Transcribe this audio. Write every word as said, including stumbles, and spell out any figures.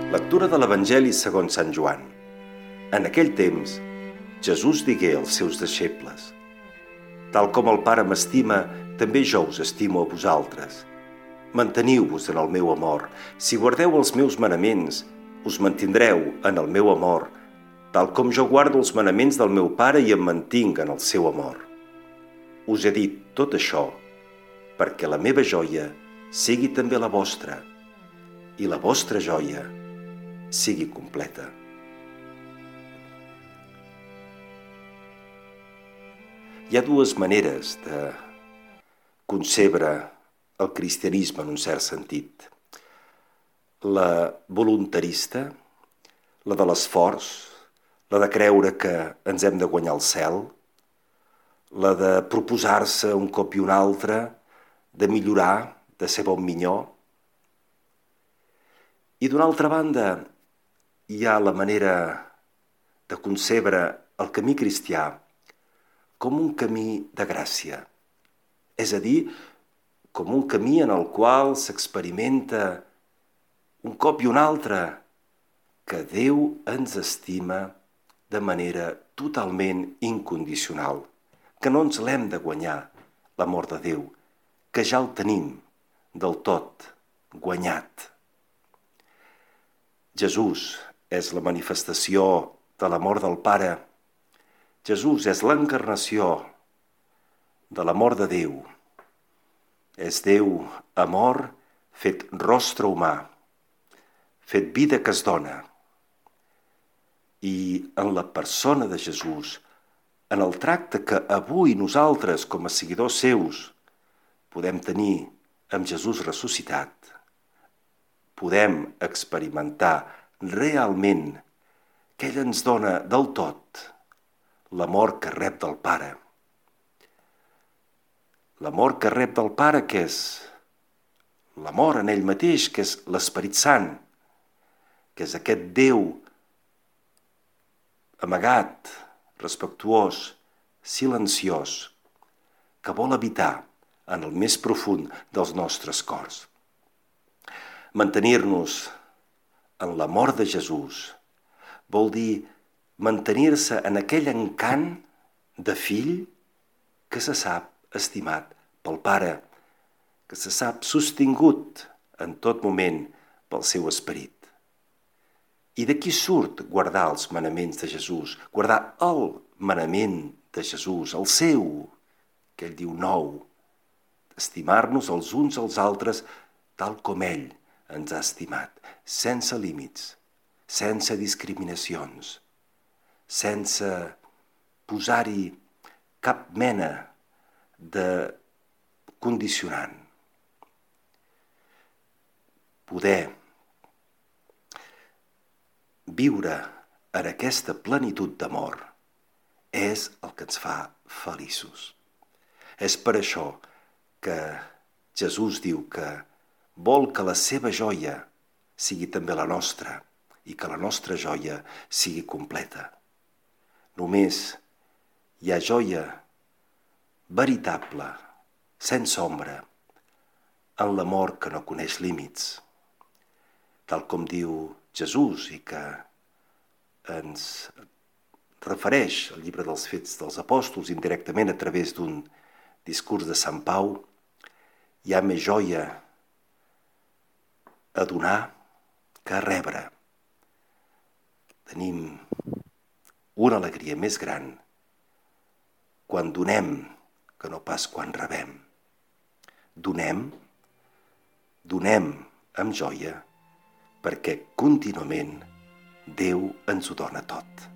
Lectura de l'Evangeli segons Sant Joan. En aquell temps, Jesús digué als seus deixebles: «Tal com el Pare m'estima, també jo us estimo a vosaltres. Manteniu-vos en el meu amor. Si guardeu els meus manaments, us mantindreu en el meu amor, tal com jo guardo els manaments del meu Pare i em mantinc en el seu amor. Us he dit tot això perquè la meva joia sigui també la vostra i la vostra joia sigui completa». Hi ha dues maneres de concebre el cristianisme en un cert sentit. La voluntarista, la de l'esforç, la de creure que ens hem de guanyar el cel, la de proposar-se un cop i un altre, de millorar, de ser bon minyó. I d'una altra banda, hi ha la manera de concebre el camí cristià com un camí de gràcia, és a dir, com un camí en el qual s'experimenta un cop i un altre que Déu ens estima de manera totalment incondicional, que no ens l'hem de guanyar, l'amor de Déu, que ja el tenim del tot guanyat. Jesús és la manifestació de l'amor del Pare. Jesús és l'encarnació de l'amor de Déu. És Déu, amor, fet rostre humà, fet vida que es dona. I en la persona de Jesús, en el tracte que avui nosaltres, com a seguidors seus, podem tenir amb Jesús ressuscitat, podem experimentar realment que ell ens dona del tot l'amor que rep del Pare. L'amor que rep del Pare, que és l'amor en ell mateix, que és l'Esperit Sant, que és aquest Déu amagat, respectuós, silenciós, que vol habitar en el més profund dels nostres cors. Mantenir-nos en l'amor de Jesús vol dir mantenir-se en aquell encant de fill que se sap estimat pel Pare, que se sap sostingut en tot moment pel seu esperit. I d'aquí surt guardar els manaments de Jesús, guardar el manament de Jesús, el seu, que ell diu nou, estimar-nos els uns als altres tal com ell ens ha estimat, sense límits, sense discriminacions, sense posar-hi cap mena de condicionant. Poder viure en aquesta plenitud d'amor és el que ens fa feliços. És per això que Jesús diu que vol que la seva joia sigui també la nostra i que la nostra joia sigui completa. Només hi ha joia veritable, sense ombra, en l'amor que no coneix límits, tal com diu Jesús i que ens refereix al llibre dels Fets dels Apòstols indirectament a través d'un discurs de Sant Pau. Hi ha més joia a donar que a rebre. Tenim una alegria més gran quan donem que no pas quan rebem. Donem, donem amb joia, perquè contínuament Déu ens ho dona tot.